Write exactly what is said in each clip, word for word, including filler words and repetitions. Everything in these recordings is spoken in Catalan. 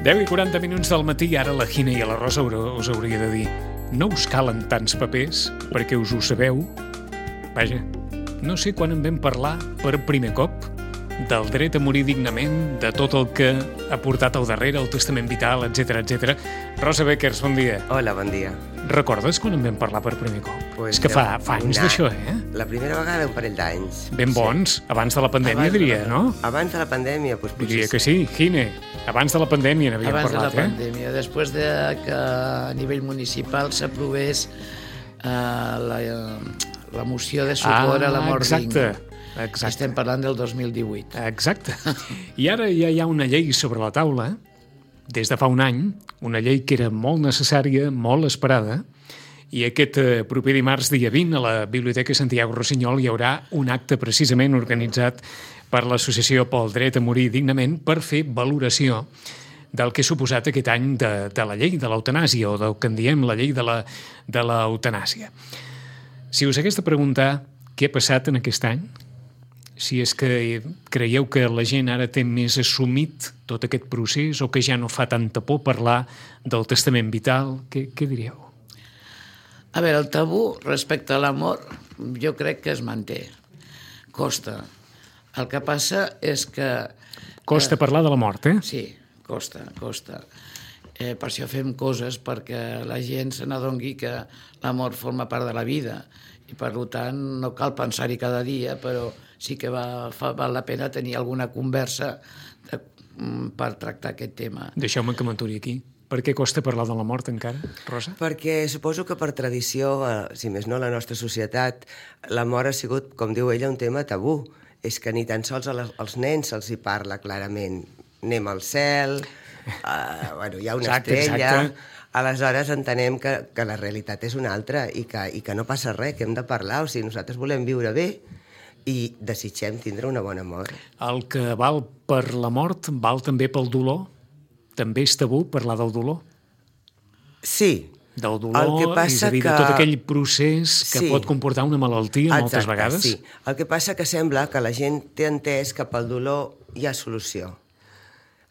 deu i quaranta minuts del matí, ara la Gina i la Rosa us hauria de dir: no us calen tants papers perquè us ho sabeu? Vaja, no sé quan en vam parlar per primer cop del dret a morir dignament, de tot el que ha portat al darrere, el testament vital, etcètera, etcètera. Rosa Beckers, bon dia. Hola, bon dia. Recordes quan en vam parlar per primer cop? Pues És que fa, fa anys d'això, eh? La primera vegada un parell d'anys. Ben bons, sí. Abans de la pandèmia, abans diria, de la, no? Abans de la pandèmia, doncs potser Diria que sí, Gine. Abans de la pandèmia n'havíem abans parlat, de la pandèmia, eh? Després de que a nivell municipal s'aprovés eh, la, la moció de suport ah, a la mort exacte. digna. Exacte. Estem parlant del dos mil divuit. Exacte. I ara ja hi ha una llei sobre la taula, des de fa un any, una llei que era molt necessària, molt esperada, i aquest eh, proper dimarts, dia vint, a la Biblioteca Santiago Rossinyol hi haurà un acte precisament organitzat per l'Associació pel Dret a Morir Dignament per fer valoració del que ha suposat aquest any de, de la llei de l'eutanàsia, o del que en diem la llei de la, de l'eutanàsia. Si us hagués de preguntar què ha passat en aquest any, si és que creieu que la gent ara té més assumit tot aquest procés o que ja no fa tanta por parlar del testament vital, què, què diríeu? A veure, el tabú respecte a l'amor jo crec que es manté. Costa. El que passa és que... Costa eh, parlar de la mort, eh? Sí, costa, costa. Eh, per això fem coses perquè la gent se n'adongui que la mort forma part de la vida i per tant no cal pensar-hi cada dia, però sí que va, fa, val la pena tenir alguna conversa de, per tractar aquest tema. Deixeu-me que m'aturi aquí. Per què costa parlar de la mort encara, Rosa? Perquè suposo que per tradició, si més no la nostra societat, la mort ha sigut, com diu ella, un tema tabú. És que ni tan sols als nens se'ls hi parla clarament. Anem al cel, uh, bueno, hi ha una exacte, estrella... Exacte. Aleshores entenem que, que la realitat és una altra i que, i que no passa res, que hem de parlar. O sigui, nosaltres volem viure bé i desitgem tindre una bona mort. El que val per la mort val també pel dolor? També és tabú parlar del dolor? Sí. Del dolor, el que passa és a dir, que... de tot aquell procés que sí. pot comportar una malaltia exacte, moltes vegades? Sí. El que passa que sembla que la gent té entès que pel dolor hi ha solució.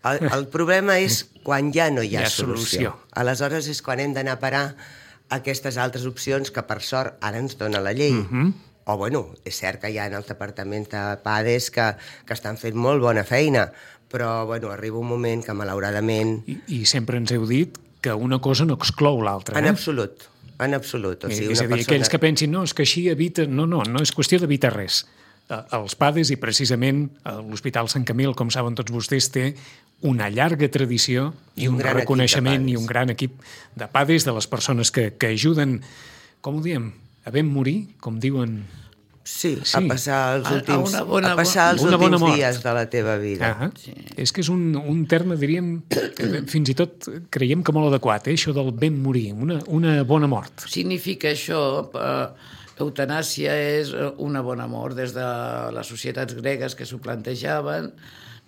El, el problema és quan ja no hi ha, hi ha solució. solució. Aleshores és quan hem d'anar a parar aquestes altres opcions que, per sort, ara ens dona la llei. Uh-huh. O, bueno, és cert que hi ha en el departament de PADES que, que estan fent molt bona feina, però, bueno, arriba un moment que, malauradament... I, i sempre ens heu dit que una cosa no exclou l'altra, eh? En absolut, en absolut. O sigui, és a dir, persona... aquells que pensin, no, és que així evita... No, no, no és qüestió d'evitar res. Els PADES i precisament l'Hospital Sant Camil, com saben tots vostès, té una llarga tradició i un, un reconeixement i un gran equip de PADES, de les persones que, que ajuden, com ho diem, a ben morir, com diuen... Sí, sí. a passar els últims, a, a bona, a passar els últims dies de la teva vida. Ah, sí. És que és un, un terme, diríem, fins i tot creiem que molt adequat, eh? Això del ben morir, una, una bona mort. Significa això... Eh, Eutanàsia és una bona mort. Des de les societats gregues que s'ho plantejaven,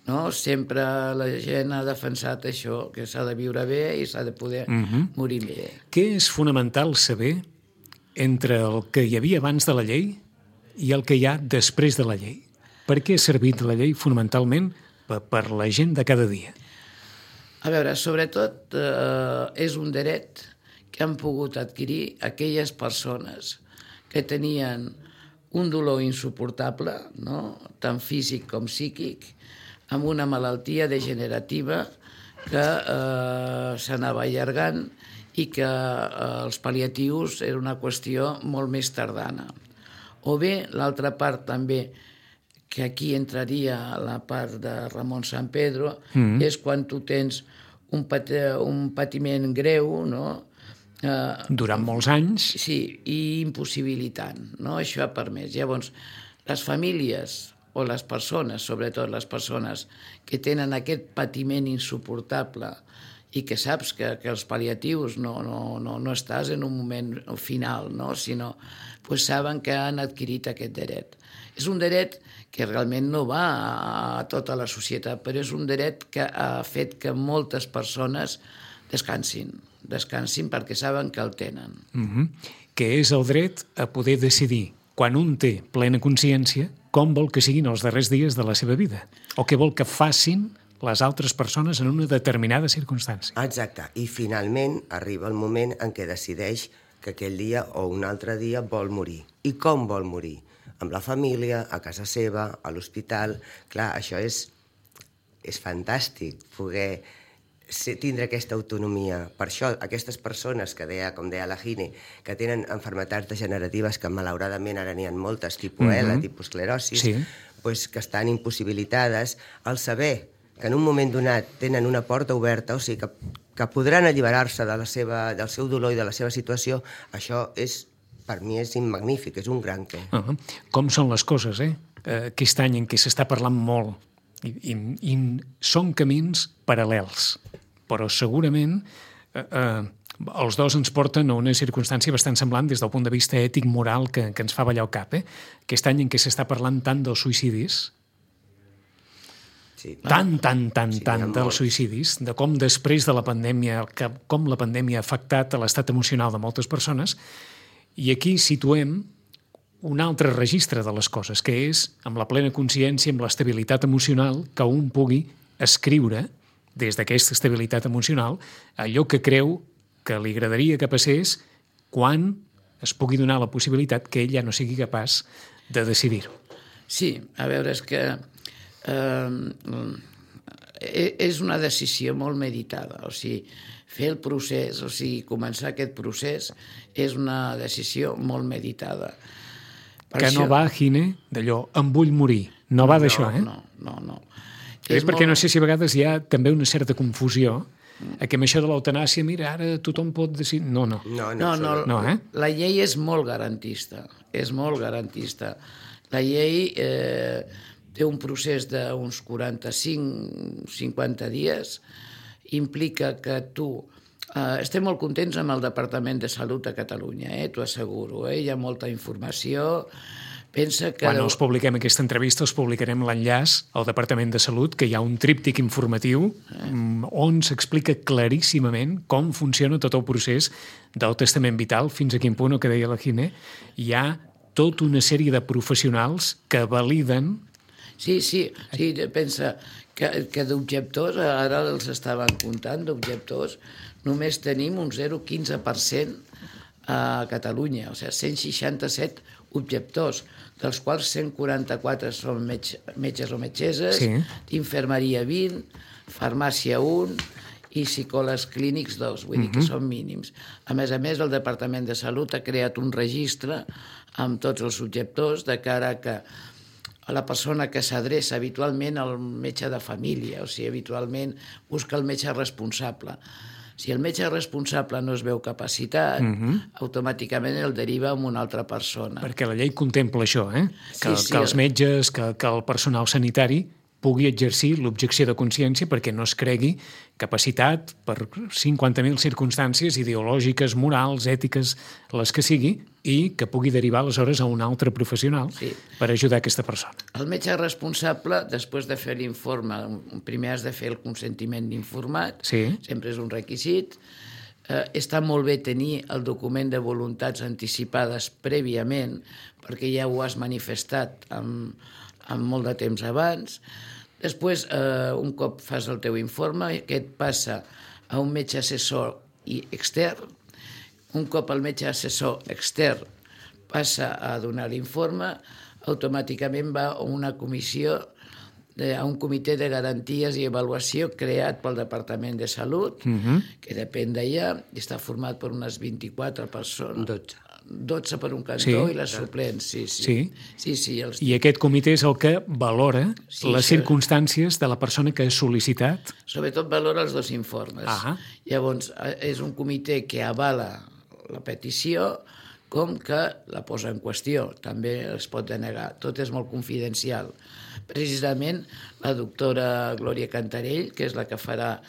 no? Sempre la gent ha defensat això, que s'ha de viure bé i s'ha de poder uh-huh. morir bé. Què és fonamental saber entre el que hi havia abans de la llei i el que hi ha després de la llei? Per què ha servit la llei fonamentalment per, per la gent de cada dia? A veure, sobretot eh, és un dret que han pogut adquirir aquelles persones que tenien un dolor insuportable, no? Tant físic com psíquic, amb una malaltia degenerativa que eh, s'anava allargant i que eh, els pal·liatius era una qüestió molt més tardana. O bé, l'altra part també, que aquí entraria la part de Ramon San Pedro, mm. és quan tu tens un, pat un patiment greu, no?, Uh, durant molts anys. Sí, i impossibilitant, no? Això ha permès. Llavors, les famílies o les persones, sobretot les persones que tenen aquest patiment insuportable i que saps que, que els pal·liatius no, no, no, no estàs en un moment final, no? Sinó pues, saben que han adquirit aquest dret. És un dret que realment no va a tota la societat, però és un dret que ha fet que moltes persones descansin, descansin perquè saben que el tenen. Mm-hmm. Que és el dret a poder decidir, quan un té plena consciència, com vol que siguin els darrers dies de la seva vida, o què vol que facin les altres persones en una determinada circumstància. Exacte. I finalment arriba el moment en què decideix que aquell dia o un altre dia vol morir. I com vol morir? Amb la família, a casa seva, a l'hospital. Clar, això és, és fantàstic, poder ser, tindre aquesta autonomia. Per això, aquestes persones que deia, com deia la Gine, que tenen malalties degeneratives, que malauradament ara n'hi ha moltes, tipus E, la tipus esclerosi, Sí. pues, que estan impossibilitades, al saber que en un moment donat tenen una porta oberta, o sigui, que, que podran alliberar-se de la seva, del seu dolor i de la seva situació, això és, per mi és magnífic, és un gran què. Uh -huh. Com són les coses, eh? Uh, aquest any en què s'està parlant molt i, i, i són camins paral·lels, però segurament uh, uh, els dos ens porten a una circumstància bastant semblant des del punt de vista ètic, moral, que, que ens fa ballar el cap. Eh? Aquest any en què s'està parlant tant dels suïcidis, Sí. tant, tant, tant, Sí, tant hi ha dels molts. suïcidis, de com després de la pandèmia, que, com la pandèmia ha afectat a l'estat emocional de moltes persones, i aquí situem un altre registre de les coses, que és amb la plena consciència, amb l'estabilitat emocional, que un pugui escriure des d'aquesta estabilitat emocional allò que creu que li agradaria que passés quan es pugui donar la possibilitat que ell ja no sigui capaç de decidir-ho. Sí, a veure, és que eh, és una decisió molt meditada, o sigui, fer el procés, o sigui, començar aquest procés és una decisió molt meditada. Per Que no això- va, Gine, d'allò, em vull morir. No va d'això, eh? No, no, no. És perquè molt- no sé si a vegades hi ha també una certa confusió a que amb això de l'eutanàsia, mira, ara tothom pot decidir... No, no. No, no, No, no, absolut. No, eh? la llei és molt garantista, és molt garantista. La llei eh, té un procés d'uns quaranta-cinc cinquanta dies, implica que tu... Eh, estem molt contents amb el Departament de Salut a Catalunya, eh, t'ho asseguro, eh? Hi ha molta informació. Pensa que... Quan els publiquem aquesta entrevista, els publicarem l'enllaç al Departament de Salut, que hi ha un tríptic informatiu mm, on s'explica claríssimament com funciona tot el procés del testament vital, fins a quin punt, el que deia la Gine, hi ha tota una sèrie de professionals que validen... Sí, sí, sí, pensa que, que d'objectors, ara els estaven comptant, d'objectors, només tenim un zero coma quinze per cent a Catalunya, o sigui, cent seixanta-set objectors, dels quals cent quaranta-quatre són metge, metges o metgesses, Sí. d'infermeria vint, farmàcia un i psicòlegs clínics dos, vull dir que són mínims. A més a més, el Departament de Salut ha creat un registre amb tots els objectors de cara a que a la persona que s'adreça habitualment al metge de família, o sigui, habitualment busca el metge responsable. Si el metge responsable no es veu capacitat, automàticament el deriva a una altra persona. Perquè la llei contempla això, eh? Que, Sí, sí. que els metges, que, que el personal sanitari pugui exercir l'objecció de consciència perquè no es cregui capacitat per cinquanta mil circumstàncies ideològiques, morals, ètiques, les que sigui, i que pugui derivar aleshores a un altre professional Sí. per ajudar aquesta persona. El metge responsable, després de fer l'informe, primer has de fer el consentiment d'informat, Sí. sempre és un requisit. Eh, està molt bé tenir el document de voluntats anticipades prèviament, perquè ja ho has manifestat amb, amb molt de temps abans. Després, eh, un cop fas el teu informe, aquest passa a un metge assessor i extern. Un cop el metge assessor extern passa a donar l'informe, automàticament va a una comissió, de, a un comitè de garanties i avaluació creat pel Departament de Salut, que depèn d'allà, i està format per unes vint-i-quatre persones. dotze. dotze per un cantó Sí. i les suplents, sí, sí. Sí. Sí, sí, els... I aquest comitè és el que valora Sí, les sí. circumstàncies de la persona que ha sol·licitat. Sobretot valora els dos informes. Ah. Llavors, eh, és un comitè que avala la petició com que la posa en qüestió. També es pot denegar. Tot és molt confidencial. Precisament, la doctora Glòria Cantarell, que és la que farà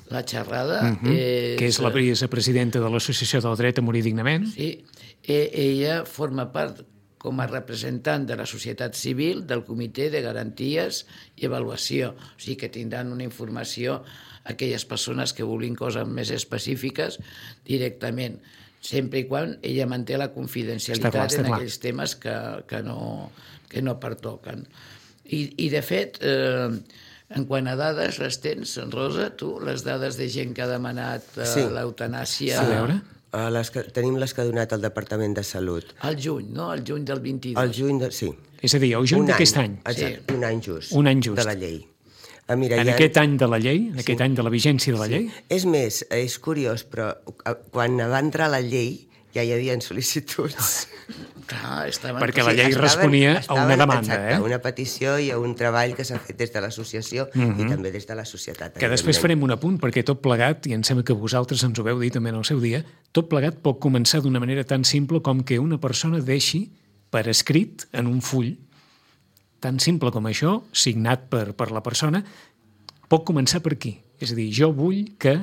la xerrada... Uh -huh. és... Que és la vicepresidenta de l'Associació del Dret a Morir Dignament. Sí, e ella forma part com a representant de la societat civil del Comitè de Garanties i Avaluació. O sigui que tindran una informació aquelles persones que vulguin coses més específiques directament, sempre i quan ella manté la confidencialitat Està clar, està en clar. aquells temes que, que, no, que no pertoquen. I, i de fet, eh, En quant a dades, les tens, Rosa, tu, les dades de gent que ha demanat uh, Sí. l'eutanàsia... A veure. Uh, les que, tenim les que ha donat el Departament de Salut. Al juny, no? Al juny del vint-i-dos. Al juny, de, sí. És a dir, el juny d'aquest any. Exacte, Sí. un any just. Un any just. De la llei. Ah, mira, En hi ha... aquest any de la llei, en aquest any de la vigència de la llei, És més, és curiós, però eh, quan va entrar la llei ja hi havia sol·licituds. Clar, estaven... perquè la Sí, llei estaven- responia a estaven, una demanda, exacte, eh? a una petició i a un treball que s'ha fet des de l'associació i també des de la societat. Que després evidentment. farem un apunt, perquè tot plegat, i em sembla que vosaltres ens ho veu dir també en el seu dia, tot plegat pot començar d'una manera tan simple com que una persona deixi per escrit en un full, tan simple com això, signat per, per la persona, pot començar per aquí. És a dir, jo vull que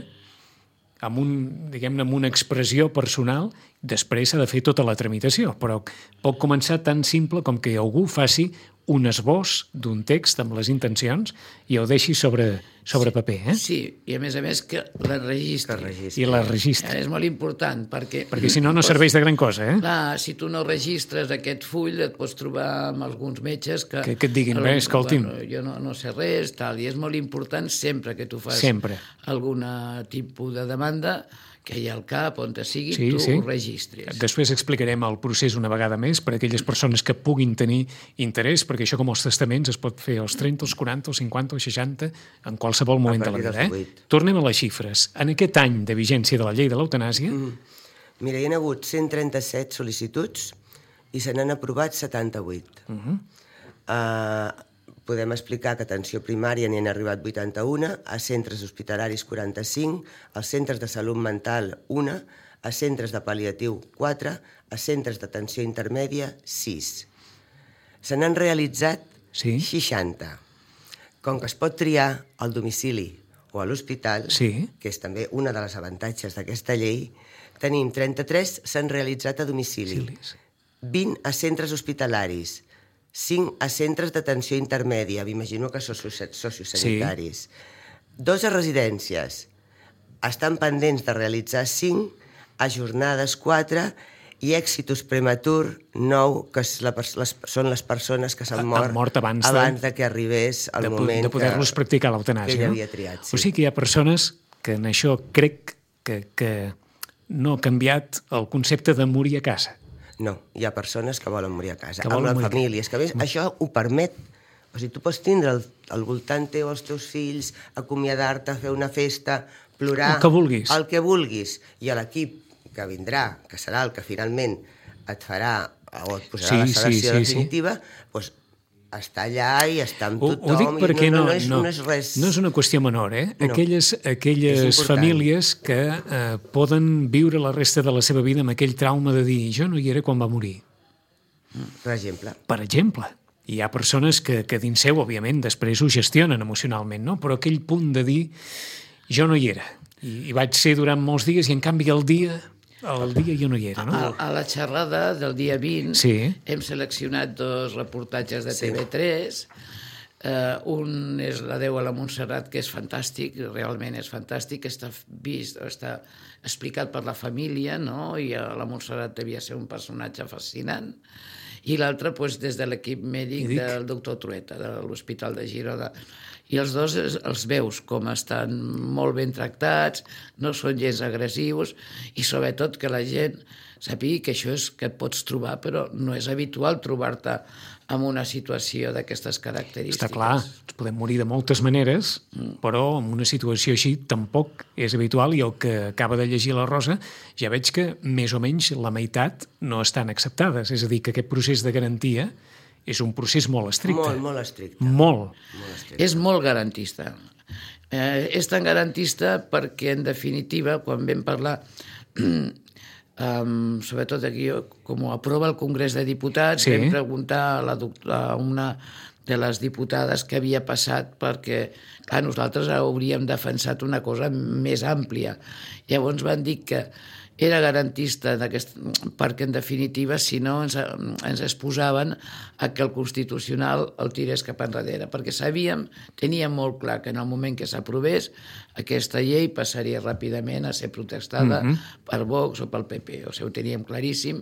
amb, un, diguem-ne, amb una expressió personal, després s'ha de fer tota la tramitació, però pot començar tan simple com que algú faci un esbós d'un text amb les intencions i ho deixi sobre, sobre paper, eh? Sí, i a més a més que la registri. Que registri. I la registra. És molt important, perquè... Perquè si no, no serveix de gran cosa, eh? Clar, si tu no registres aquest full, et pots trobar amb alguns metges que... Que- que et diguin, bé, escolti'm. Bueno, jo no, no sé res, tal, i és molt important sempre que tu fas Sempre. algun tipus de demanda que hi ha al cap, on te sigui, Sí, tu sí. ho registris. Després explicarem el procés una vegada més per a aquelles persones que puguin tenir interès, perquè això com els testaments es pot fer als trenta, als quaranta, als cinquanta, als seixanta, en qualsevol moment de la partir vida. dels Eh? divuit. Tornem a les xifres. En aquest any de vigència de la llei de l'eutanàsia, Mm. Mira, hi ha hagut cent trenta-set sol·licituds i se n'han aprovat setanta-vuit. Uh -huh. uh, podem explicar que a atenció primària n'hi han arribat vuitanta-un, a centres hospitalaris quaranta-cinc, als centres de salut mental una, a centres de pal·liatiu quatre, a centres d'atenció intermèdia sis. Se n'han realitzat Sí. seixanta. Com que es pot triar al domicili o a l'hospital, Sí. que és també una de les avantatges d'aquesta llei, tenim trenta-tres s'han realitzat a domicili, Domicilis. vint a centres hospitalaris, cinc a centres d'atenció intermèdia, m'imagino que socio- sociosanitaris, dos a residències, estan pendents de realitzar cinc, ajornades quatre i èxitus prematur nou, que és la, pers- les, són les persones que Han s'han mort, mort abans de- abans de que arribés el de, po- moment de poder-los que, practicar que l'eutanàsia. ell no? havia triat. Sí. O sigui que hi ha persones que en això crec que, que no ha canviat el concepte de morir a casa. No, hi ha persones que volen morir a casa, Que amb volen les morir. famílies, que a més això ho permet. O sigui, tu pots tindre al, al voltant teu els teus fills, acomiadar-te, fer una festa, plorar... El que vulguis. El que vulguis. I a l'equip que vindrà, que serà el que finalment et farà o et posarà Sí, la sí, sedació sí, definitiva, doncs està allà i està amb Ho, tothom. ho dic i perquè no, no, no, és, no, no és res... no és una qüestió menor, eh? No. Aquelles, És aquelles important. famílies que eh, poden viure la resta de la seva vida amb aquell trauma de dir jo no hi era quan va morir. Per exemple. Per exemple, hi ha persones que, que dins seu, òbviament, després ho gestionen emocionalment, no? Però aquell punt de dir jo no hi era. I, i vaig ser durant molts dies i, en canvi, el dia, el dia jo no hi era, no? A, a la xerrada del dia vint Sí. hem seleccionat dos reportatges de Sí. T V tres. Uh, un és l'Adeu a la Montserrat, que és fantàstic, realment és fantàstic, està vist, està explicat per la família, no? I a la Montserrat devia ser un personatge fascinant. I l'altre, doncs, des de l'equip mèdic Mèdic. del doctor Trueta, de l'Hospital de Girona. I els dos es- els veus com estan molt ben tractats, no són gens agressius, i sobretot que la gent sàpiga que això és que et pots trobar, però no és habitual trobar-te en una situació d'aquestes característiques. Està clar, ens podem morir de moltes maneres, però en una situació així tampoc és habitual, i el que acaba de llegir la Rosa ja veig que més o menys la meitat no estan acceptades. És a dir, que aquest procés de garantia és un procés molt estricte. Molt, molt estricte. Molt. Molt estricte. És molt garantista. Eh, és tan garantista perquè, en definitiva, quan vam parlar, um, sobretot aquí, com ho aprova el Congrés de Diputats, Sí. vam preguntar a, la, doc- a una de les diputades què havia passat, perquè, clar, nosaltres hauríem defensat una cosa més àmplia. Llavors van dir que era garantista perquè, en definitiva, si no ens, ens exposaven a que el Constitucional el tirés cap enrere, perquè sabíem, teníem molt clar que en el moment que s'aprovés aquesta llei passaria ràpidament a ser protestada mm-hmm. per Vox o pel P P, o sigui, ho teníem claríssim.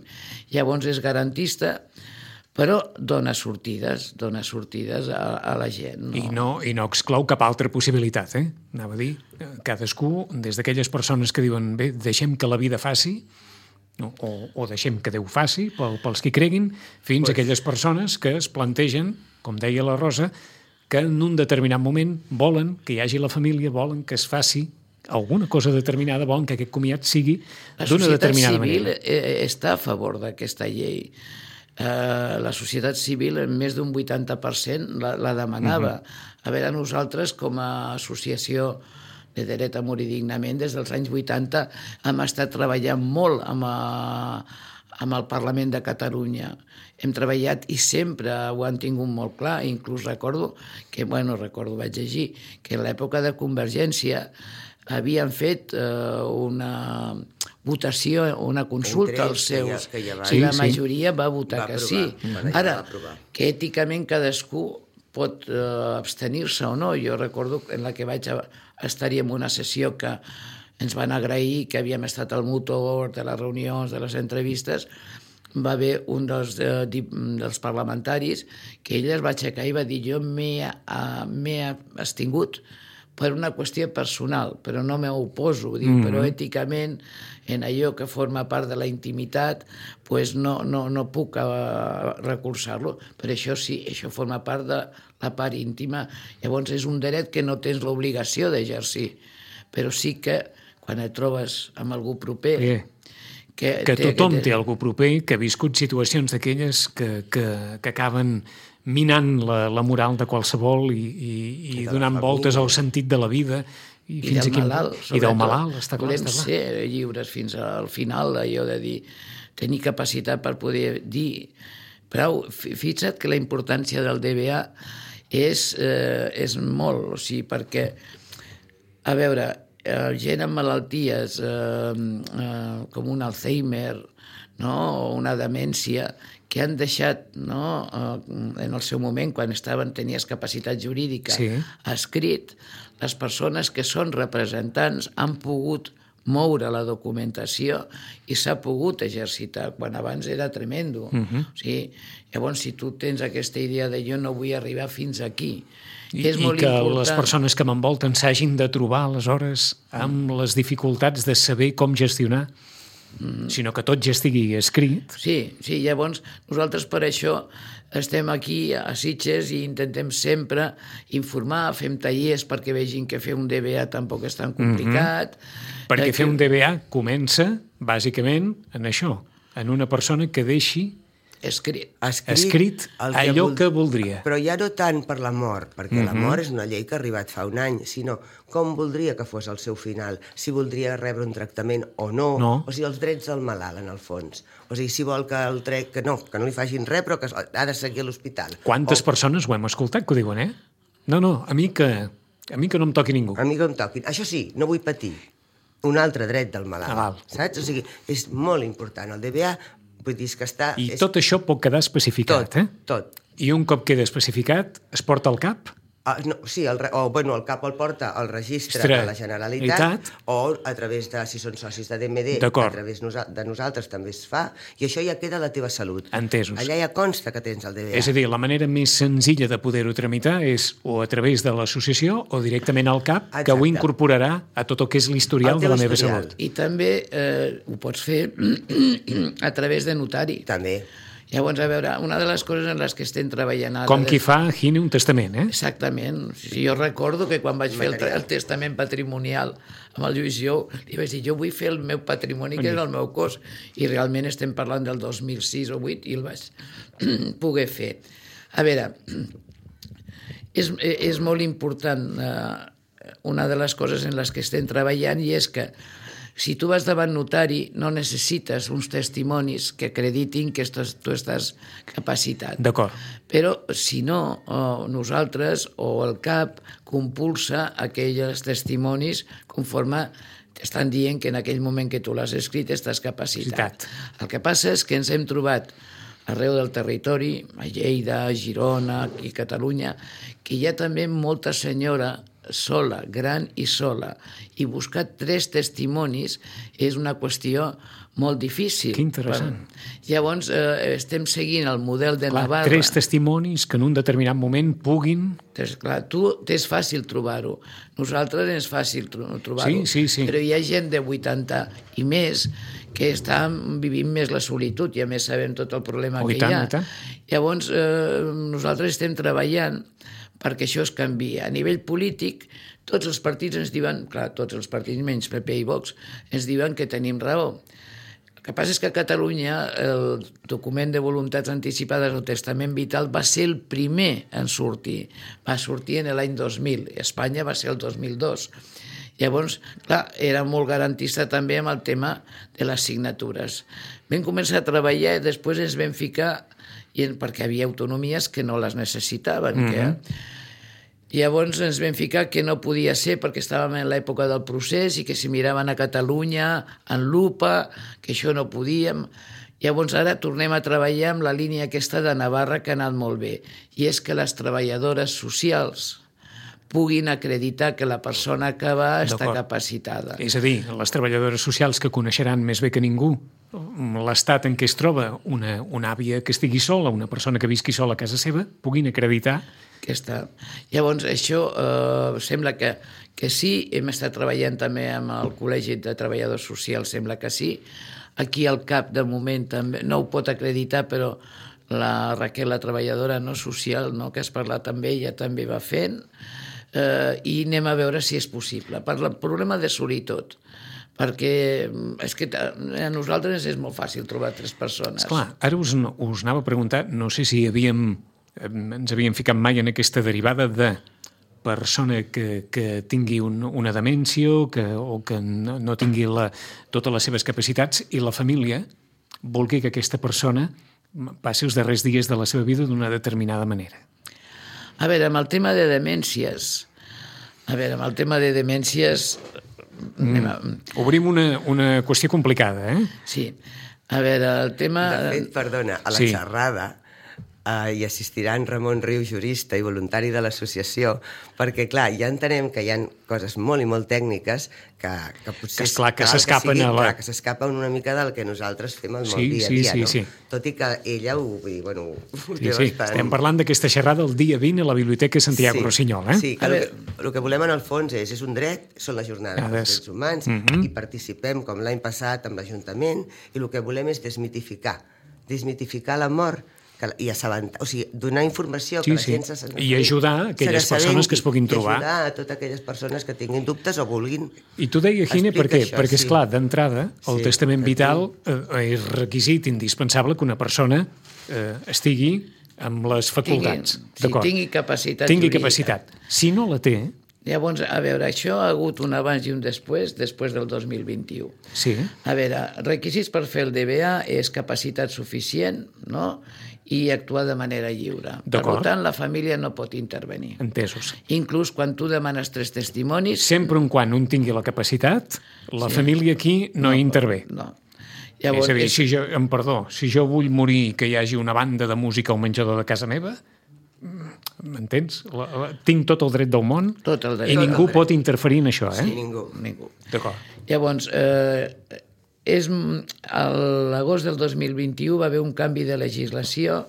Llavors és garantista però dona sortides, dona sortides a, a la gent. No? I, no, I no exclou cap altra possibilitat, eh? Anava a dir, cadascú, des d'aquelles persones que diuen, bé, deixem que la vida faci, no? o, o deixem que Déu faci, pel, pels que creguin, fins pues... a aquelles persones que es plantegen, com deia la Rosa, que en un determinat moment volen que hi hagi la família, volen que es faci alguna cosa determinada, volen que aquest comiat sigui d'una determinada manera. La societat civil està a favor d'aquesta llei. Uh, la societat civil en més d'un vuitanta per cent la, la demanava. Uh-huh. A veure, nosaltres com a associació de dret a morir dignament des dels anys vuitanta hem estat treballant molt amb, a, amb el Parlament de Catalunya. Hem treballat i sempre ho han tingut molt clar. Inclús recordo que, bueno, recordo, vaig llegir, que en l'època de Convergència havien fet eh, una votació, una consulta als seus, que ja, que ja va... sí, i la sí. majoria va votar va que aprovar, sí. mm. Ara, que èticament cadascú pot eh, abstenir-se o no. Jo recordo en la que vaig estar-hi en una sessió que ens van agrair, que havíem estat al motor de les reunions, de les entrevistes, va haver un dels, eh, dels parlamentaris que ell es va aixecar i va dir jo m'he abstingut per una qüestió personal, però no m'oposo, dic, mm-hmm. però èticament, en allò que forma part de la intimitat, pues no, no, no puc uh, recolzar-lo. Per això sí, això forma part de la part íntima. Llavors és un dret que no tens l'obligació d'exercir, però sí que quan et trobes amb algú proper... Yeah. Que, que té, tothom que té... té algú proper, que ha viscut situacions d'aquelles que, que, que acaben minant la, la moral de qualsevol i, i, i donant voltes al sentit de la vida i, I fins del a quin... malalt, i del malalt, està clar, volem està clar. Ser lliures fins al final, allò de dir, tenir capacitat per poder dir prou. Fixa't que la importància del D B A és, eh, és molt, o sigui, perquè, a veure, eh, gent amb malalties eh, eh, com un Alzheimer, no? O una demència, que han deixat, no, en el seu moment, quan estaven, tenies capacitat jurídica, sí. escrit, les persones que són representants han pogut moure la documentació i s'ha pogut exercitar, quan abans era tremendo. Uh-huh. O sigui, llavors, si tu tens aquesta idea de jo no vull arribar fins aquí, I, és molt i que important. Les persones que m'envolten s'hagin de trobar, aleshores, amb mm. les dificultats de saber com gestionar, mm. sinó que tot ja estigui escrit. Sí, sí, llavors nosaltres per això estem aquí a Sitges i intentem sempre informar, fem tallers perquè vegin que fer un D B A tampoc és tan complicat. Mm-hmm. Perquè fer un D B A comença, bàsicament, en això, en una persona que deixi escrit, escrit, escrit allò que, vol... que voldria. Però ja no tant per la mort, perquè mm-hmm. la mort és una llei que ha arribat fa un any, sinó com voldria que fos el seu final, si voldria rebre un tractament o no, no. o sigui, els drets del malalt, en el fons. O sigui, si vol que el trec... que no, que no li facin res, però que ha de seguir a l'hospital. Quantes o... persones ho hem escoltat que ho diuen, eh? No, no, a mi que, a mi que no em toqui ningú. A mi que em toquin. Això sí, no vull patir. Un altre dret del malalt, Malalt. saps? O sigui, és molt important. El D B A vull dir que està... I és... tot això pot quedar especificat, tot, eh? Tot. I un cop queda especificat, es porta al cap? Ah, no, sí, el, o, bueno, el cap el porta al registre Estre, de la Generalitat o a través de, si són socis de D M D, a través de nosaltres també es fa, i això ja queda a la teva salut. Entesos. Allà ja consta que tens el D B A. És a dir, la manera més senzilla de poder-ho tramitar és o a través de l'associació o directament al cap, Exacte. que ho incorporarà a tot el que és l'historial de la meva historial. salut. I també eh, ho pots fer a través de notari. També. Llavors, a veure, una de les coses en les que estem treballant ara... Com qui fa, Gine, un testament, eh? Exactament. Jo recordo que quan vaig fer el, el testament patrimonial amb el Lluís Jou, li vaig dir, jo vull fer el meu patrimoni, que és el meu cos. I realment estem parlant del dos mil sis o vuit i el vaig poder fer. A veure, és, és molt important eh, una de les coses en les que estem treballant, i és que si tu vas davant notari, no necessites uns testimonis que acreditin que estàs, tu estàs capacitat. D'acord. Però, si no, o nosaltres o el CAP compulsa aquells testimonis conforme t'estan dient que en aquell moment que tu l'has escrit estàs capacitat. El que passa és que ens hem trobat arreu del territori, a Lleida, a Girona i Catalunya, que hi ha també molta senyora sola, gran i sola, i buscar tres testimonis és una qüestió molt difícil. Que interessant. Per... Llavors, eh, estem seguint el model de Clar, Navarra. tres testimonis que en un determinat moment puguin... Tens, clar, tu t'és fàcil trobar-ho. Nosaltres és fàcil trobar-ho. Sí, sí, sí. Però hi ha gent de vuitanta i més que està vivint més la solitud i a més sabem tot el problema Oh, que tant, hi ha. i tant. Llavors, eh, nosaltres estem treballant perquè això es canvia. A nivell polític, tots els partits ens diuen, clar, tots els partits menys P P i Vox, ens diuen que tenim raó. El que passa és que a Catalunya el document de voluntats anticipades o testament vital va ser el primer en sortir. Va sortir en l'any dos mil. Espanya va ser el dos mil dos. Llavors, clar, era molt garantista també amb el tema de les signatures. Vam començar a treballar i després ens vam ficar, i perquè havia autonomies que no les necessitaven. Mm-hmm. que, Llavors ens vam ficar que no podia ser perquè estàvem en l'època del procés i que si miraven a Catalunya en lupa, que això no podíem. Llavors ara tornem a treballar amb la línia aquesta de Navarra que ha anat molt bé, i és que les treballadores socials puguin acreditar que la persona que va està capacitada. És a dir, les treballadores socials que coneixeran més bé que ningú l'estat en què es troba una, una àvia que estigui sola, una persona que visqui sola a casa seva, puguin acreditar que està. Llavors, això eh, sembla que, que sí, hem estat treballant també amb el Col·legi de Treballadors Socials, sembla que sí. Aquí al CAP, de moment, també no ho pot acreditar, però la Raquel, la treballadora no social, no, que has parlat amb ella, també va fent, eh, i anem a veure si és possible. Per el problema de solitud, perquè és que a nosaltres és molt fàcil trobar tres persones. Esclar, ara us, us anava a preguntar, no sé si havíem, ens havíem ficat mai en aquesta derivada de persona que, que tingui un, una demència o que, o que no, no tingui la, totes les seves capacitats i la família vulgui que aquesta persona passi els darrers dies de la seva vida d'una determinada manera. A veure, amb el tema de demències, a veure, amb el tema de demències... Mm. A... Obrim una, una qüestió complicada, eh? Sí. A veure, el tema... De fet, perdona, a la sí. xerrada uh, hi assistirà en Ramon Riu, jurista i voluntari de l'associació, perquè, clar, ja entenem que hi ha coses molt i molt tècniques que, que potser... Que esclar, que s'escapen a la... Que s'escapen una mica del que nosaltres fem el sí, molt dia a sí, dia, sí, no? Sí. Tot i que ella ho... Bueno, ho sí, sí. Bastant... Estem parlant d'aquesta xerrada el dia vint a la Biblioteca Santiago sí, Rossinyol, eh? Sí, que el, que el que volem en el fons és, és un dret, són les jornades dels drets humans, mm-hmm. i participem, com l'any passat, amb l'Ajuntament, i el que volem és desmitificar, desmitificar la mort, que, i assabentar, o sigui, donar informació sí, que la sí. gent se senti, i ajudar aquelles persones que es puguin trobar. I ajudar a totes aquelles persones que tinguin dubtes o vulguin. I tu deia, Gine, per què? Això, Perquè, sí. esclar, d'entrada, el sí, testament vital eh, és requisit indispensable que una persona eh, estigui amb les facultats. Tingui, sí, tingui capacitat tingui jurídica. capacitat. Si no la té... Llavors, a veure, això ha hagut un abans i un després, després del dos mil vint-i-u. Sí. A veure, requisits per fer el D B A és capacitat suficient, no?, i actuar de manera lliure. Per tant, la família no pot intervenir. Entesos. Inclús quan tu demanes tres testimonis... Sempre en quan un tingui la capacitat, la sí. família aquí no, no hi intervé. No. Llavors, és a dir, és... si jo, em perdó, si jo vull morir que hi hagi una banda de música al menjador de casa meva, m'entens? La, la, tinc tot el dret del món tot el dret, i ningú pot interferir en això, eh? Sí, ningú. ningú. D'acord. Llavors, eh, és, a l'agost del dos mil vint-i-u va haver un canvi de legislació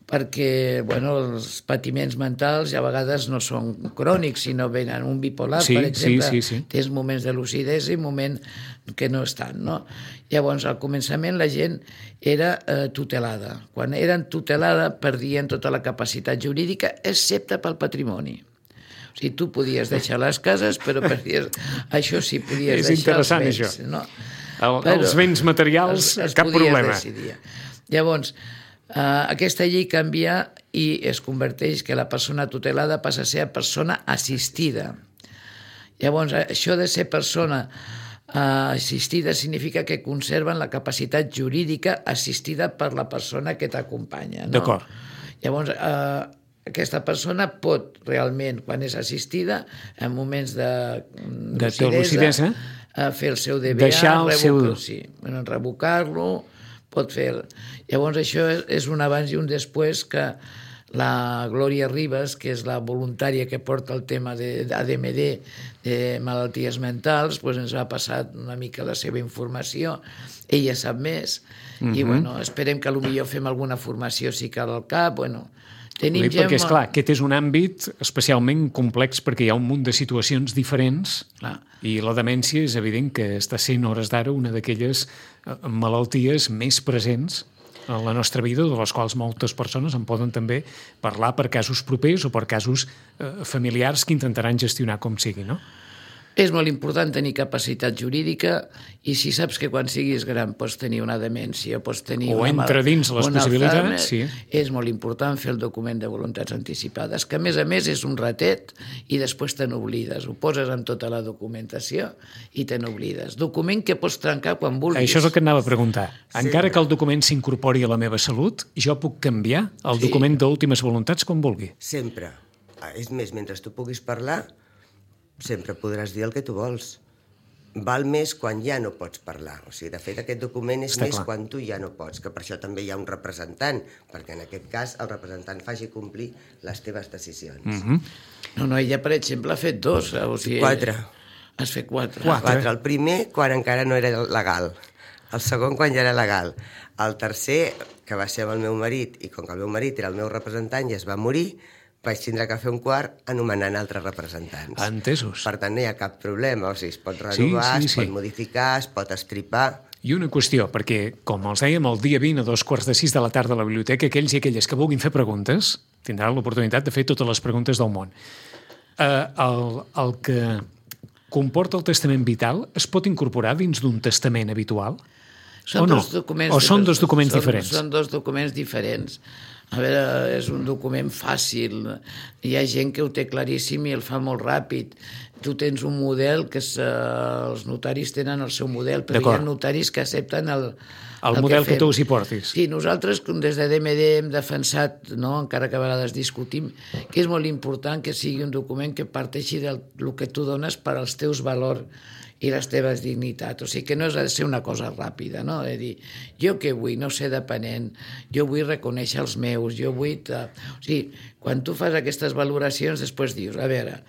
perquè bueno, els patiments mentals a vegades no són crònics, sinó venen un bipolar, sí, per exemple, sí, sí, sí. tens moments de lucidesa i moments que no estan, no? Llavors, al començament la gent era eh, tutelada. Quan eren tutelada perdien tota la capacitat jurídica, excepte pel patrimoni. O sigui, tu podies deixar les cases, però perdies... això sí, podies és deixar els béns. És interessant, això. No? El, els béns materials, els, els cap problema. Decidir. Llavors, eh, aquesta llei canvia i es converteix que la persona tutelada passa a ser persona assistida. Llavors, això de ser persona eh, assistida significa que conserven la capacitat jurídica assistida per la persona que t'acompanya. No? D'acord. Llavors, eh, aquesta persona pot realment, quan és assistida, en moments de, de lucidesa, lucidesa, a fer el seu D B A, deixar el revocar, seu... sí, bueno, revocar-lo, pot fer... El... Llavors això és un abans i un després que la Glòria Ribas, que és la voluntària que porta el tema d'A D M D, de malalties mentals, doncs ens va passar una mica la seva informació. Ella sap més. Uh-huh. I bueno, esperem que potser fem alguna formació si cal al cap. Bueno, tenim ja perquè, esclar, aquest és un àmbit especialment complex perquè hi ha un munt de situacions diferents clar. I la demència és evident que està sent, hores d'ara, una d'aquelles malalties més presents en la nostra vida, de les quals moltes persones en poden també parlar per casos propers o per casos eh, familiars que intentaran gestionar com sigui, no? És molt important tenir capacitat jurídica i si saps que quan siguis gran pots tenir una demència, pots tenir o una entra dins les possibilitats, sí. És molt important fer el document de voluntats anticipades, que a més a més és un ratet i després te n'oblides. Ho poses en tota la documentació i te n'oblides. Document que pots trencar quan vulguis. Això és el que et anava a preguntar. Encara que el document s'incorpori a la meva salut, jo puc canviar el sí. document d'últimes voluntats com vulgui. Sempre. És més, mentre tu puguis parlar, sempre podràs dir el que tu vols. Val més quan ja no pots parlar. O sigui, de fet, aquest document és Està més clar. Quan tu ja no pots, que per això també hi ha un representant, perquè en aquest cas el representant faci complir les teves decisions. Mm-hmm. No, no, ella, per exemple, ha fet dos. O sigui, quatre. Has fet quatre. quatre. Quatre. El primer, quan encara no era legal. El segon, quan ja era legal. El tercer, que va ser amb el meu marit, i com que el meu marit era el meu representant i es va morir, vaig tindre que fer un quart anomenant altres representants. Entesos. Per tant, no hi ha cap problema. O sigui, es pot renovar, sí, sí, sí. es pot modificar, es pot estripar. I una qüestió, perquè, com els dèiem, el dia vint a dos quarts de sis de la tarda a la biblioteca, aquells i aquelles que vulguin fer preguntes tindran l'oportunitat de fer totes les preguntes del món. Eh, el, el que comporta el testament vital es pot incorporar dins d'un testament habitual? Són o no? Dos documents o són dos documents són, diferents? Són dos documents diferents. A veure, és un document fàcil. Hi ha gent que ho té claríssim i el fa molt ràpid. Tu tens un model que és, eh, els notaris tenen el seu model, però hi ha notaris que accepten el, el, el model que, que tu us hi portis. Sí, nosaltres des de D M D hem defensat, no, encara que a vegades discutim, que és molt important que sigui un document que parteixi del que tu dones per als teus valors i les teves dignitats. O sigui, que no és de ser una cosa ràpida, no? De dir, jo què vull? No ser dependent, jo vull reconèixer els meus, jo vull... O sigui, quan tu fas aquestes valoracions, després dius, a veure,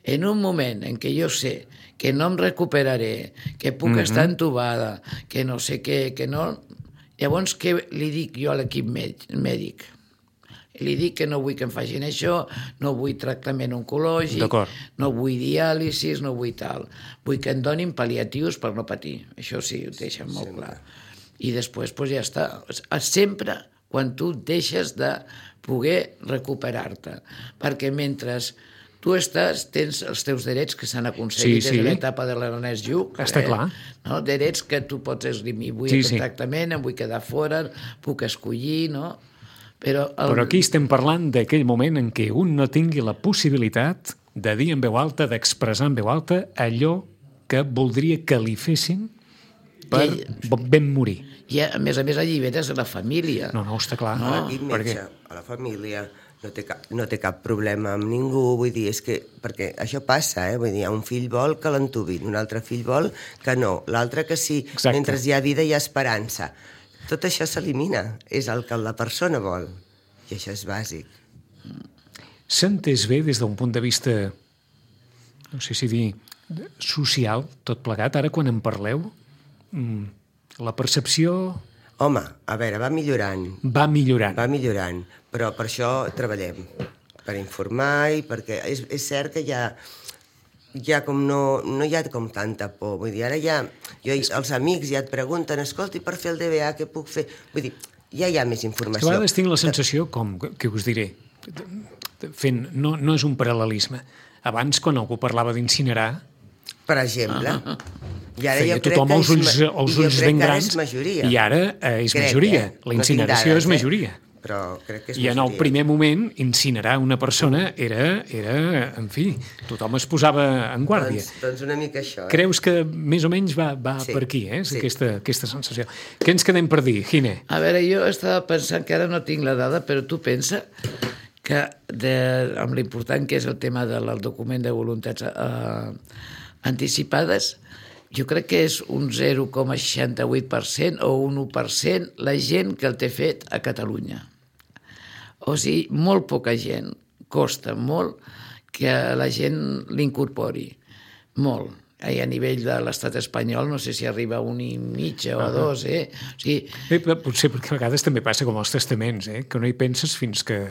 en un moment en què jo sé que no em recuperaré, que puc mm-hmm. estar entubada, que no sé què, que no... Llavors, què li dic jo a l'equip mèdic? Li dic que no vull que em facin això, no vull tractament oncològic, no vull diàlisis, no vull tal. Vull que em donin pal·liatius per no patir. Això sí, ho deixen molt Sempre. clar. I després doncs ja està. Sempre quan tu deixes de poder recuperar-te. Perquè mentre tu estàs, tens els teus drets que s'han aconseguit sí, sí. des de l'etapa de l'Ernest Lluch. Està eh? clar. No? Drets que tu pots esgrimir. Vull sí, aquest sí. tractament, em vull quedar fora, puc escollir, no? Però, el... Però aquí estem parlant d'aquell moment en què un no tingui la possibilitat de dir en veu alta, d'expressar en veu alta allò que voldria que li fessin per I... ben morir. I a més a més alliberes a la família. No, no, està clar. No, l'equip metge, a la família, no té, cap, no té cap problema amb ningú, vull dir, és que, perquè això passa, eh? Vull dir, un fill vol que l'entubin, un altre fill vol que no, l'altre que sí, Exacte. Mentre hi ha vida hi ha esperança. Tot això s'elimina, és el que la persona vol, i això és bàsic. S'ha entès bé des d'un punt de vista, no sé si dir, social, tot plegat, ara quan en parleu, la percepció... Home, a veure, va millorant. Va millorant. Va millorant, però per això treballem, per informar i perquè és, és cert que hi ha... ja com no, no hi ha com tanta por, vull dir, ara ja, jo, els amics ja et pregunten, escolti, per fer el D B A què puc fer? Vull dir, ja hi ha més informació. A vegades tinc la sensació, com que us diré, fent, no, no és un paral·lelisme. Abans, quan algú parlava d'incinerar... Per exemple. Ah. I ara feia jo crec tothom que els ulls, els ulls ben grans. I ara eh, és crec, majoria. Eh? La incineració no és majoria. Eh? Però crec que és I en el primer moment, incinerar una persona era, era, en fi, tothom es posava en guàrdia. Doncs, doncs una mica això. Eh? Creus que més o menys va, va sí, per aquí, eh? Sí. Aquesta, aquesta sensació. Què ens quedem per dir, Gine? A veure, jo estava pensant que ara no tinc la dada, però tu pensa que de, amb l'important que és el tema del document de voluntats eh, anticipades, jo crec que és un zero coma seixanta-vuit per cent o un u per cent la gent que el té fet a Catalunya. O sigui, molt poca gent, costa molt que la gent l'incorpori, molt. I a nivell de l'estat espanyol no sé si arriba a un i mitja o a dos, eh? O sigui... Bé, potser perquè a vegades també passa com els testaments, eh? Que no hi penses fins que...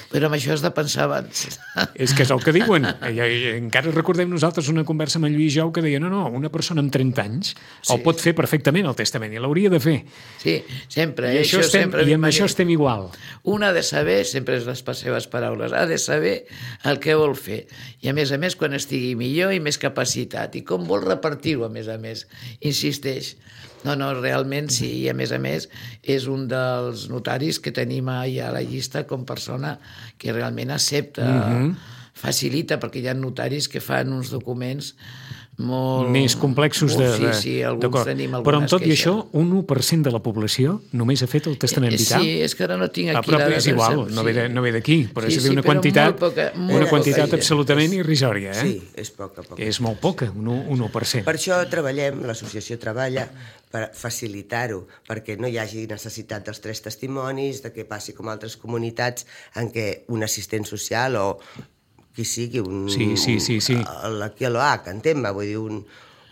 Però amb això has de pensar abans. És que és el que diuen. I, i, encara recordem nosaltres una conversa amb en Lluís Jou que deia no, no, una persona amb trenta anys sí. el pot fer perfectament el testament i l'hauria de fer. Sí, sempre. I, això això estem, sempre i amb això estem igual. Un ha de saber, sempre és les seves paraules, ha de saber el que vol fer. I a més a més quan estigui millor i més capacitat. I com vol repartir-ho, a més a més. Insisteix. No, no, realment sí, i a més a més és un dels notaris que tenim allà a la llista com persona que realment accepta, mm-hmm. facilita, perquè hi ha notaris que fan uns documents molt... més complexos de... Sí, sí, alguns tenim algunes Però amb tot i queixes. això, un u per cent de la població només ha fet el testament vital. Sí, és que ara no tinc aquí... Ah, però la és igual, sí. no ve, de, no ve d'aquí, però sí, és sí, una però quantitat, molt poca, molt una quantitat poca absolutament gent. irrisòria. Eh? Sí, és poca, poca. És molt poca, un u per cent. Per això treballem, l'associació treballa per facilitar-ho, perquè no hi hagi necessitat dels tres testimonis, de que passi com altres comunitats en què un assistent social o qui sigui, un, sí, sí, sí, sí. aquí a l'O H, entén-me, vull dir, un,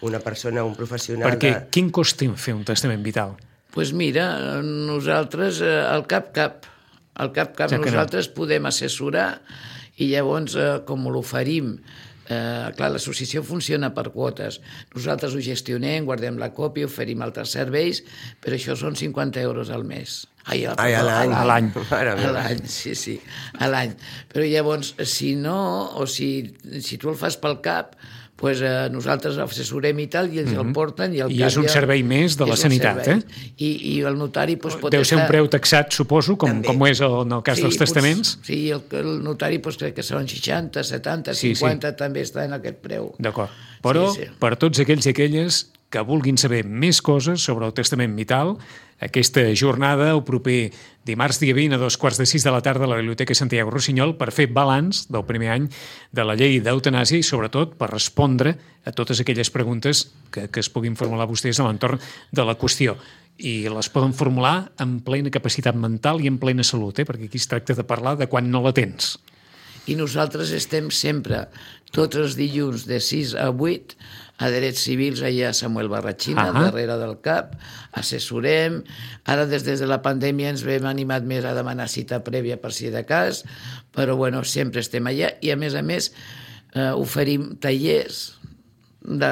una persona, un professional... Perquè de... quin cost té fer un testament vital? Doncs pues mira, nosaltres, al cap-cap, al cap-cap ja nosaltres no. podem assessorar i llavors, com l'oferim, Eh, clar, l'associació funciona per quotes. Nosaltres ho gestionem, guardem la còpia, oferim altres serveis, però això són cinquanta euros al mes. Ai, a, Ai, a l'any. A l'any, a l'any, sí, sí, a l'any. Però llavors, si no, o si, si tu el fas pel cap, pues, eh, nosaltres assessorem i tal, i ells mm-hmm. el porten i el I és un servei més de la sanitat, eh? I, i el notari pues, pot Deu ser estar... un preu taxat, suposo, com, com ho és en el cas sí, dels testaments. Pues, sí, el, el notari pues, crec que són seixanta, setanta, cinquanta, sí, sí. també està en aquest preu. D'acord. Però sí, sí. per tots aquells i aquelles que vulguin saber més coses sobre el testament vital, aquesta jornada, el proper dimarts dia vint a dos quarts de sis de la tarda a la Biblioteca Santiago Rossinyol, per fer balanç del primer any de la llei d'eutanàsia i, sobretot, per respondre a totes aquelles preguntes que, que es puguin formular vostès a l'entorn de la qüestió. I les poden formular amb plena capacitat mental i en plena salut, eh? Perquè aquí es tracta de parlar de quan no la tens. I nosaltres estem sempre, tots els dilluns de sis a vuit, a Drets Civils, allà a Samuel Barratxina, uh-huh. darrere del CAP, assessorem. Ara, des, des de la pandèmia, ens hem animat més a demanar cita prèvia per si de cas, però bueno, sempre estem allà. I, a més a més, eh, oferim tallers de,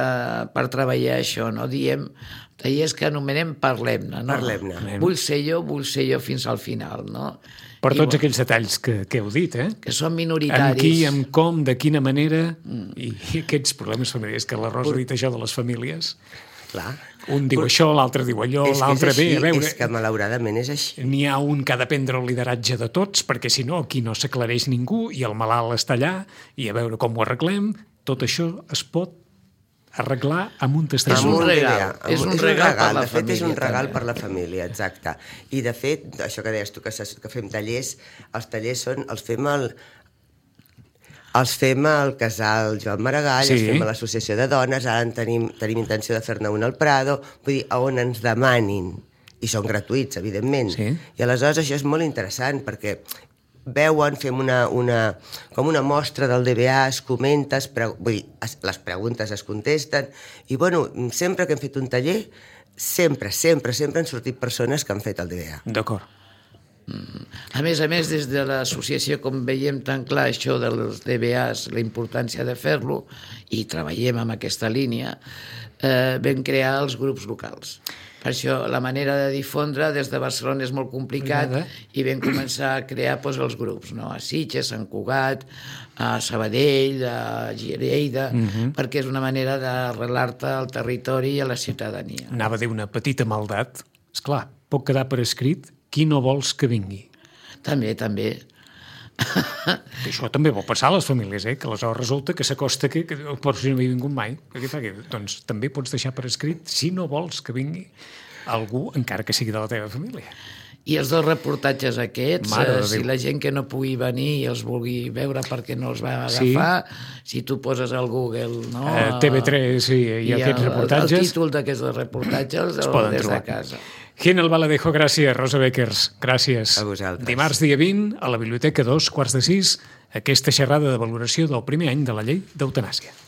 per treballar això, no? Diem tallers que anomenem Parlem-ne, no? Parlem-ne. Vull ser jo, vull ser jo fins al final, no? Per I, tots bueno, aquells detalls que, que heu dit, eh? Que són minoritaris. Amb qui, amb com, de quina manera, mm. i, i aquests problemes familiars, que la Rosa ha dit això de les famílies. Clar. Un diu però, això, l'altre diu allò, l'altre ve, a veure... És que malauradament és així. N'hi ha un que ha de prendre el lideratge de tots, perquè si no aquí no s'aclareix ningú i el malalt està allà i a veure com ho arreglem. Tot això es pot arreglar amb un testament. És un regal, és un regal per la família. De fet, és un regal també. per la família, exacte. I, de fet, això que deies tu, que, que fem tallers, els tallers són, els fem al, els fem al casal Joan Maragall, sí. els fem a l'Associació de Dones, ara en tenim, tenim intenció de fer-ne un al Prado, vull dir, a on ens demanin, i són gratuïts, evidentment. Sí. I aleshores això és molt interessant, perquè veuen, fem una, una, com una mostra del D B A, es comenta, es pre... vull dir, es, les preguntes es contesten, i bueno, sempre que hem fet un taller, sempre, sempre, sempre han sortit persones que han fet el D B A. D'acord. A més a més, des de l'associació, com veiem tan clar això dels D B As, la importància de fer-lo, i treballem amb aquesta línia, eh, vam crear els grups locals. Per això, la manera de difondre des de Barcelona és molt complicat i vam començar a crear doncs, els grups, no? A Sitges, a Sant Cugat, a Sabadell, a Lleida, uh-huh. perquè és una manera d'arrelar-te al territori i a la ciutadania. Anava a dir una petita maldat. Esclar, pot quedar per escrit qui no vols que vingui. També, també. Que això també vol passar a les famílies, eh? Que aleshores resulta que s'acosta que, que però si no havia vingut mai. Què fa? Doncs també pots deixar per escrit si no vols que vingui algú, encara que sigui de la teva família. I els dos reportatges aquests, eh, si la gent que no pugui venir i els vulgui veure perquè no els va agafar, sí. Si tu poses al Google, no? Uh, T V tres sí, i, i aquests el, reportatges... El títol d'aquests reportatges els, els poden des trobar. de casa. Gin el Valadejo, gràcies. Rosa Beckers, gràcies. A vosaltres. Dimarts, dia vint, a la Biblioteca, dos quarts de sis, aquesta xerrada de valoració del primer any de la llei d'eutanàsia.